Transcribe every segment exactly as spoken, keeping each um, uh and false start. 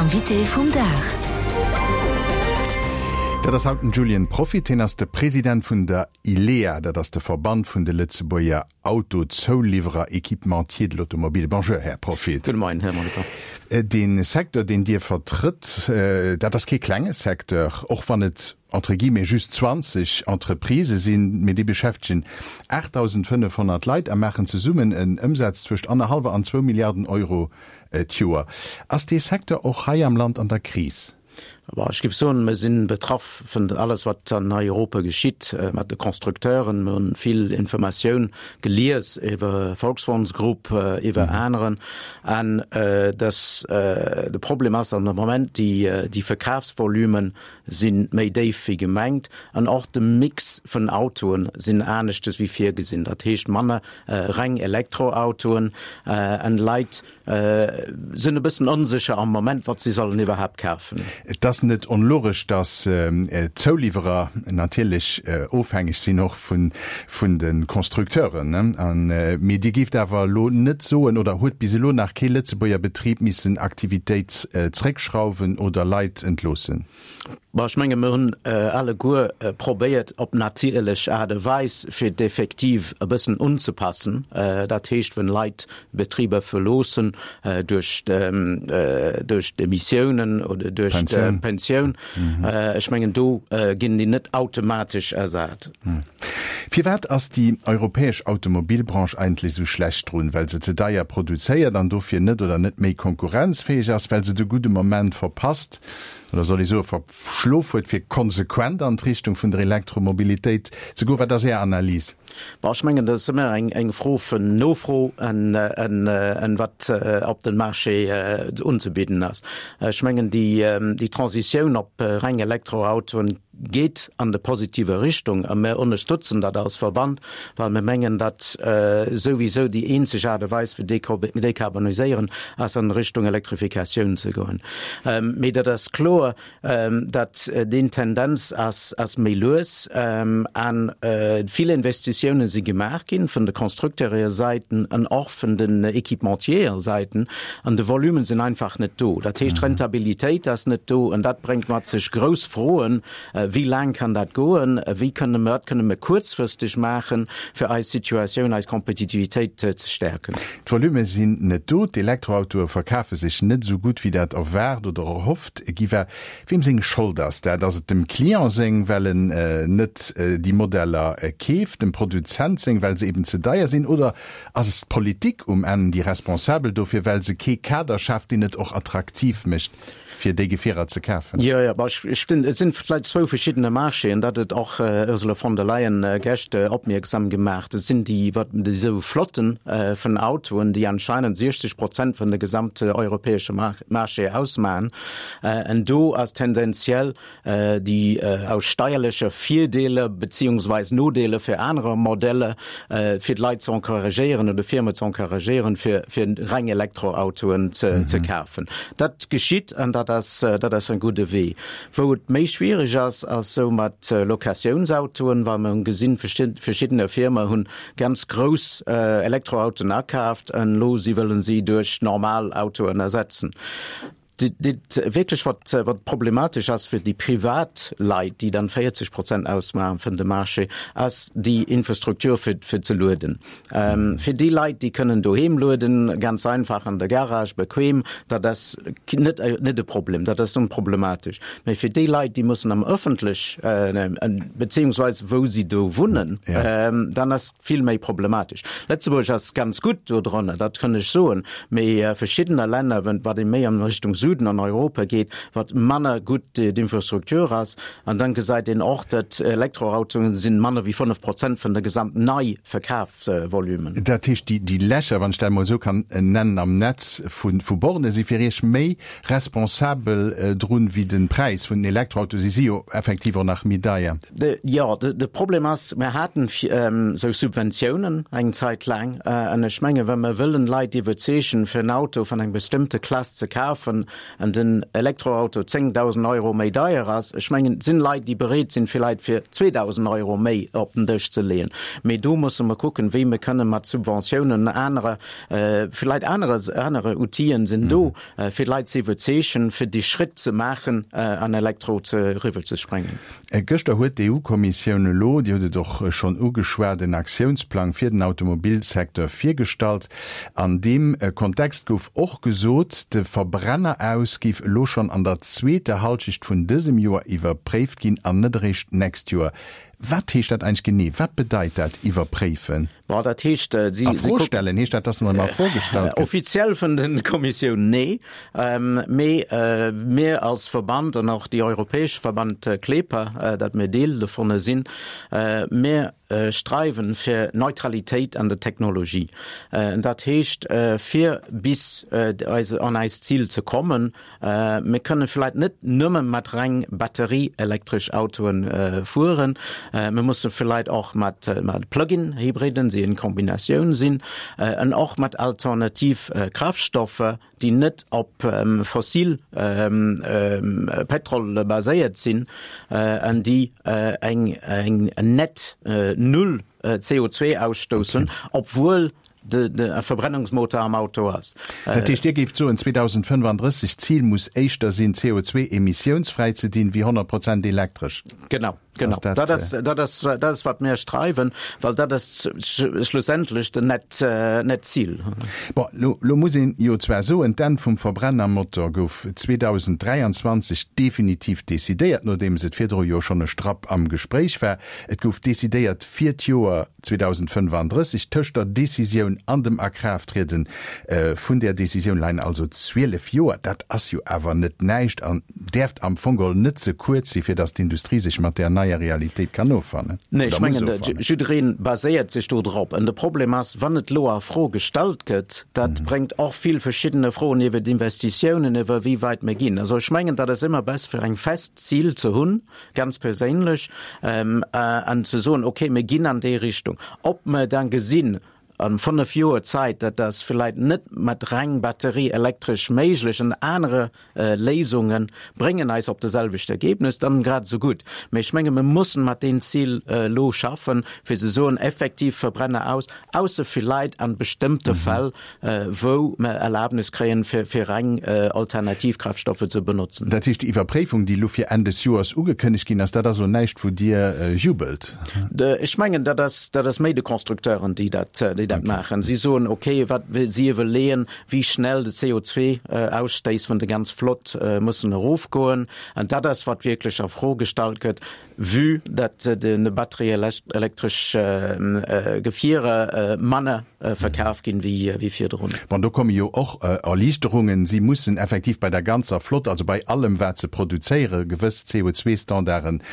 Invité vum Dag. Dat ass haut den Julien Proffitt, hien ass de President vun der ILEA, dat ass de Verband vun de Lëtzebuerger Autozouliwwerer, Équipementiers de l'automobile. Bonjour, Här Proffitt. Gudde Moien, Här Molitor. Dee Secteur, deen Dir vertrëtt, dat ass kee klenge Secteur, och wann et entre guillemets just zwanzeg Entreprisë sinn, mee déi beschäftegen aachtdausendfënnefhonnert Leit a maachen zesummen en Ëmsaz zwëscht annerhallwer an zwou Milliarden Euro d'Joer. Ass dee Secteur och hei am Land an der Kris? Ech géif soen, mir si betraff vun alles, wat an Europa geschitt mat de Constructeuren. Mir hunn vill Informatioun gelies iwwer Volkswagens Group, iwwer aneren. An dass de Problem ass an de Moment, déi déi Verkafsvolumen si méi déif wéi gemengt an och de Mix vun Autoen sinn aneschtes wéi virgesinn. Dat heescht manner reng Elektroautoen an Leit sinn e bëssen onsécher am Moment, wat si sollen iwwerhaapt kafen. Et ass net onlogesch, datt d'Zouliwwerer natierlech ofhängeg sinn och vun vun de Constructeuren. An, mee Dir géift awer elo net soen, oder huet bis elo nach kee Lëtzebuerger Betrib missen Aktivitéit zréckschrauwen oder Leit entloossen? Bon, ech menge mir hunn alleguer probéiert op natierlech Aart a Weis fir d'Effektiv e bëssen unzepassen. Dat heescht, wenn Leit Betriber verloossen duerch duerch d'Demissiounen oder duerch d'Pensioun, ech mengen do ginn déi net automatesch ersat. Firwat ass déi europäesch Automobilbranche eigentlech esou schlecht drun? Well se ze deier produzéiert an dofir net oder net méi konkurrenzfäeg ass? Well se de gudde Moment verpasst, oder soll ech soe verschlof huet, fir konsequent an d'Richtung vun der Elektromobilitéit ze goen? Wat ass Är Analys? Bon, ech mengen, dat ass ëmmer eng, eng Fro vun Nofro an, an, an wat op den Marché unzebidden ass. Ech mengen, déi, déi Transitioun op reng Elektroautoen geet an de positive Richtung a mir ënnerstëtzen dat als Verband, well mir mengen, datt souwisou déi eenzeg Aart a Weis fir dekarboniséieren ass an Richtung Elektrifikatioun ze goen. Mee dat ass kloer, datt deen Tendenz ass ass méi lues an vill Investitiounen si gemaach ginn vun de Constructeurersäiten an och vun den Équipementier-Säiten an de Volumen sinn einfach net do. Dat heescht, d'Rentabilitéit ass net do an dat bréngt mat sech grouss Froen, Wéi laang kann dat goen? Wéi kënne mer, wat kënne mer kuerzfristeg maachen, fir eis Situatioun, eis Kompetitivitéit ze stäerken? D'Volume sinn net do, d'Elektroautoe verkafe sech net esou gutt, wéi dat erwaart oder erhofft gi war. Weem seng Schold ass dat? Ass et dem Client seng, well en net déi Modeller keeft, dem Produzent seng, well se eben ze deier sinn, oder ass et d'Politik um Enn déi Responsabel dofir, well se kee Kader schaaft, deen et och attraktiv mécht? fir déi Gefierer ze kafen. Jo, jo, ech stimmt, et sinn vläicht zwou verschiddene Marchéen, dat huet och Ursula von der Leyen gescht opmierksam gemaach. Et sinn déi, wat déi esou Flotten vun Autoen, déi anscheinend siechzeg Prozent vun de gesamte europäesche Marché ausmachen. An do ass tendenziell déi aus steierleche Virdeeler beziehungsweis Nodeeler fir anerer Modeller, fir d'Leit ze encouragéieren oder Firme ze encouragéieren, fir fir reng Elektroautoen ze ze kafen. Dat geschitt an dat ass, dat ass en gudde Wee. Wou et méi schwierig ass, ass sou mat Locatiounsautoen, well mer hunn gesinn, verschiddene Firme hunn ganz grouss Elektroautoen akaaft an elo si wëllen si duerch normal Autoen ersetzen. Dat wierklech wat, wat problematesch ass fir déi privat Leit, déi dann véierzeg Prozent ausmaachen vun de Marché, ass déi Infrastruktur fir, fir ze lueden. Fir déi Leit, déi kënnen doheem lueden, ganz einfach an der Garage, bequem, dat ass net, net e Problem, dat ass onproblematesch. Mä fir déi Leit, déi mussen am ëffentlech, beziehungsweise wou si do wunnen, dann ass vill méi problematesch. Lëtzebuerg ass ganz gutt do dran, dat kann ech soen, mee verschiddener Länner, wat ee méi an Richtung Süden an Europa geet, wat manner gutt d'Infrastruktur ass, an dann gesäit een och, datt Elektroautoen sinn manner wéi fënnef Prozent vun der gesamten Neiverkafsvolumen. Dat heescht, déi Lächer, wann ech dat emol esou kann nennen, am Netz vu Borne si fir Iech méi responsabel drun wéi de Präis vun den Elektroautoen. Si si jo effektiv och nach méi deier. Jo, de Problem ass, mir haten esou Subventiounen eng Zäit laang. An ech mengen, wa mer wëllen Leit iwwerzeegen, fir en Auto vun enger bestëmmte Klass ze kafen, an den Elektroauto zéngdausend Euro méi deier ass, ech mengen, et sinn Leit, déi bereet sinn, villäit fir zweedausend Euro méi op den Dësch ze leeën. Mee do musse mer kucken, wéi mer kënne mat Subventiounen an anere, villäit anere, anere Outile sinn do, fir d'Leit ze iwwerzeegen, fir dee Schritt ze maachen, an Elektro ze eriwwer ze sprangen. Gëschter huet d'EU-Kommissioun elo, Dir hutt et och schonn ugeschwat, en Aktiounsplang fir den Automobilsecteur virgestallt. An deem Kontext gouf och gesot, de Verbrenner-Aus géif elo schonn an der zweeter Hallschecht vun dësem Joer iwwerpréift ginn an net eréischt d'nächst Joer. Wat heescht dat eigentlech genee? Wat bedeit dat, iwwerpréifen? Bon, dat heescht, si A Fro stellen, heescht dat, dass en erëm a Fro gestallt gëtt? Offiziell vun der Kommissioun, nee. Mee mir als Verband an och déi europäesch Verband CLEPA, dat mir Deel dovunner sinn, mir streiwen fir Neutralitéit an der Technologie. Dat heescht, fir bis an eist Zil ze kommen, mir kënne vläicht net nëmme mat reng batterieelektresch Autoen fueren, mir musse vläicht och mat Plug-in-Hybriden, déi en Kombinatioun sinn, an och mat alternativ Kraftstoffer, déi net op fossil Pétrol baséiert sinn an déi eng net null C O zwee ausstoussen, obwuel de Verbrennungsmotor am Auto ass. Dat heescht, Dir géift soen, zweedausendfënnefandrësseg, d'Zil muss éischter sinn, C O zwee emissiounsfräi ze dinn, wéi honnert Prozent elektresch? Genau. Genau. Dat ass, dat ass, dat ass wat mir streiwen, well dat ass schlussendlech den net, net Zil. Bon, lo, lo muss een jo zwar soen, d'Enn vum Verbrennermotor gouf zweedausenddräianzwanzeg definitiv decidéiert, nodeems et virdru jo schonn e Strapp am Gespréich war. Et gouf decidéiert fir d'Joer zweedausendfënnefandrësseg. Tëscht der Decisioun an dem Akraafttrieden vun där Decisioun leien also zwielef Joer. Dat ass jo awer net näischt an däerft am Fong geholl net ze kuerz si fir datt d'Industrie sech mat där neier Realitéit kann offannen. Nee, ech mengen, jidderee baséiert sech do drop. An de Problem ass, wann et elo a Fro gestallt gëtt, dat bréngt och vill verschiddene Froen iwwer d'Investitiounen, iwwer wéi wäit mir ginn. Also ech mengen, dat ass ëmmer besser fir eng fest Zil ze hunn, ganz perséinlech, an ze soen, okay, mir ginn an déi Richtung. Ob mer dann gesinn, an fënnef Joer Zäit, dat ass vläicht net mat reng batterieelektresch méiglech an anere Léisunge bréngen eis op de selwecht Ergebnis, dann grad esou gutt. Mee ech menge mir mussen mat deem Zil elo schaffen, fir ze soen, effektiv Verbrenner aus, ausser vläicht an bestëmmte Fäll, wou mer Erlaabnis kréien, fir fir reng alternativ Kraftstoffe ze benotzen. Dat heescht, déi Iwwerpréifung, déi elo fir Enn des Joers ugekënnegt ginn ass, dat ass elo näischt, wou Dir jubelt? Ech mengen, dat ass, dat ass méi de Constructeuren, déi dat, déi dat maachen. Si soen, okay, wat si iwwerleeën, wéi schnell de C O zwee Ausstéiss vun de ganz Flott mussen erofgoen. An dat ass, wat wierklech a Fro gestallt gëtt, vue datt de batterieelektresch Gefierer manner verkaf ginn wéi virdrun. Bon, do komme jo och Erliichterungen. Si mussen effektiv bei der ganzer Flott, also bei allem, wat se produzéieren, gewëss C O zwee Standarden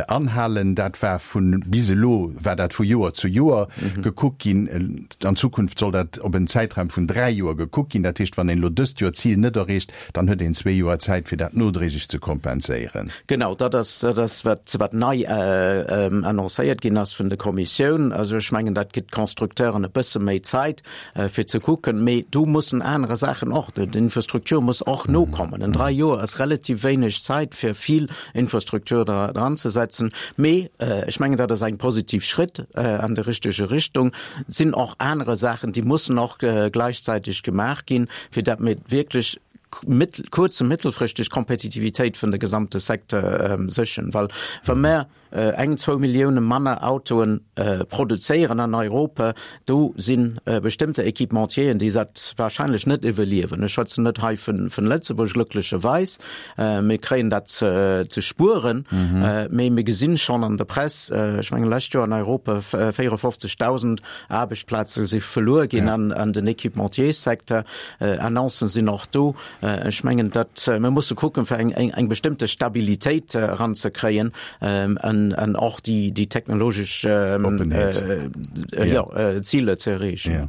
anhalen. Dat war vun bis elo war dat vu Joer zu Joer gekuckt ginn. An Zukunft soll dat op en Zäitraum vun dräi Joer gekuckt ginn. Dat heescht, wann een elo dëst Joer d'Zil net erreecht, dann huet een zwee Joer Zäit, fir dat nodréiglech ze kompenséieren. Genau, dat ass, dat ass wat, wat nei annoncéiert ginn ass vun der Kommissioun. Also ech mengen, dat gëtt d'Constructeuren e bësse méi Zäit, fir ze kucken. Mee do mussen anere Saachen och, d'Infrastruktur muss och nokommen. En dräi Joer ass relativ wéineg Zäit, fir vill Infrastruktur dran ze setzen. Mee ech mengen, dat ass eng positiv Schritt an déi richtege Richtung. Et sinn och anere Saachen, déi mussen och gläichzäiteg gemaach ginn, fir datt mir wierklech kuerz a mëttelfristeg Kompetitivitéit vun de gesamte Secteur sécheren. Well wa mer eng, zwou Millioune manner Autoe produzéieren an Europa, do si bestëmmte Équipementieren, déi dat wahrscheinlech net iwwerliewen. Ech schwätzen net hei vun Lëtzebuerg, glücklecherweis. Mir kréien dat ze spueren, mee mir gesinn schonn an der Press, ech mengen lescht Joer an Europa véierefofzegdausend Aarbechtsplaze si verluer ginn an den Équipementiers-Secteur. Annoncen sinn och do. Ech mengen, datt mir musse kucken, fir eng, eng, eng bestëmmte Stabilitéit eranzekréien an, an och déi, déi technologesch Oppenheet. jo, Ziler ze erreechen. Ja.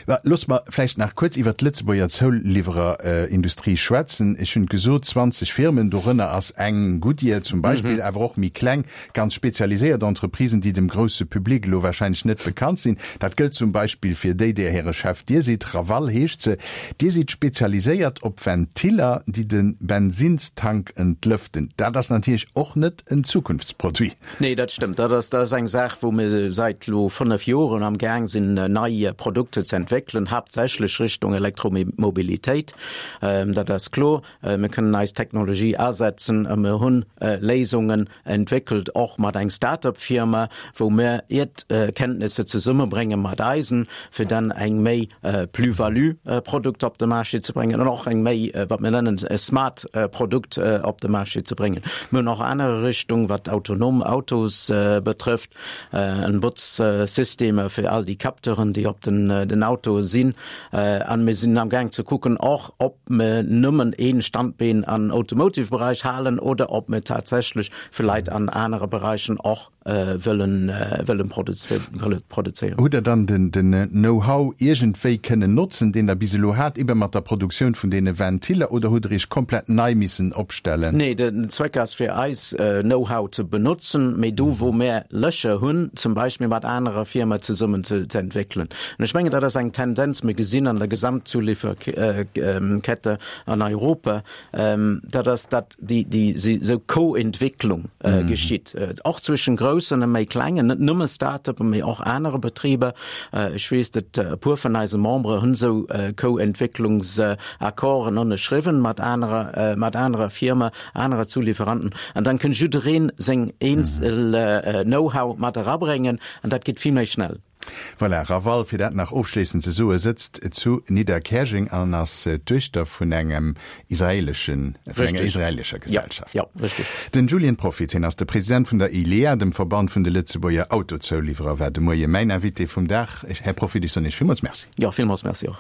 Mä loosse mer vläicht nach kuerz iwwert d'Lëtzebuerger Zouliwwererindustrie schwätzen. Ech hunn gesot, zwanzeg Firmen, dorënner ass eng Goodyear zum Beispill, awer och méi kleng, ganz spezialiséiert Entreprisen, déi dem grousse Public elo wahrscheinlech net bekannt sinn. Dat gëllt zum Beispill fir déi, där hire Chef Dir sidd, Raval heescht se. Dir sidd spezialiséiert op Ventiller, déi de Bensinnstank entlëften. Dat ass natierlech och net en Zukunftsproduit. Nee, dat stëmmt. Dat ass, dat ass eng Saach, wou mir säit elo fënnef Joren am Gaang sinn, nei Produkter ze entwéckelen, haaptsächlech Richtung Elektromobilitéit. Dat ass kloer. Mir kënnen eis Technologie asetzen a mir hunn Léisungen entwéckelt, och mat eng Start-up-Firma, wou mir hiert Kenntnisser zesummebrénge mat eisen, fir dann eng méi Plus-value-Produkt op de Marché ze bréngen an och eng méi, wat mir nennen, e smart Produkt op de Marché ze bréngen. Mir hunn och aner Richtung, wat autonom Autos betrëfft, en Botzsystemer fir all déi Capteuren, déi op den den Autoe sinn. An mir sinn am Gaang ze kucken och, ob mir nëmmen ee Standbeen an Automotive-Beräich halen oder ob mir tatsächlech vläit an anere Beräichen och wëllen wëllen produzéieren. Hutt Der dann den den Know-how iergendwéi kënnen notzen, deen Der bis elo hat, ebe mat der Produktioun vun deene Ventiller, oder hutt Der Iech komplett nei missen opstellen? Nee, den Zweck ass fir eis Know-how ze benotzen, mee do wou mär Lächer hunn, zum Beispill mat anerer Firma zesummen ze ze entwéckelen. An ech mengen, dat ass eng Tendenz, mir gesinn an der Gesamtzulieferkette an Europa, dat ass, datt déi déi esou Co-Entwécklung geschitt, och zwëschen groussen a méi klengen, net nëmme Start-uppen, mee och anere Betriber. Ech weess, datt e puer vun eise Membere hunn esou Co-Entwécklungsaccorden ënnerschriwwen mat anerer mat anerer Firme, anerer Zulieferanten. An dann kënn jiddereen seng eenzel Know-how mat erabréngen an dat geet vill méi schnell. Voilà, Raval, fir dat nach ofschléissend ze soen, sëtzt zu Nidderkäerjeng an ass d'Duechter vun engem israeleschen, vun enger israelescher Gesellschaft. Ja, ja, richtig. Den Julien Proffitt, hien ass de President vun der ILEA, dem Verband vun de Lëtzebuerger Autozouliwwerer, war de Moie mäin Invité vum Dag. Här Proffitt, ech soen Iech villmools Merci. Jo, villmools Merci och.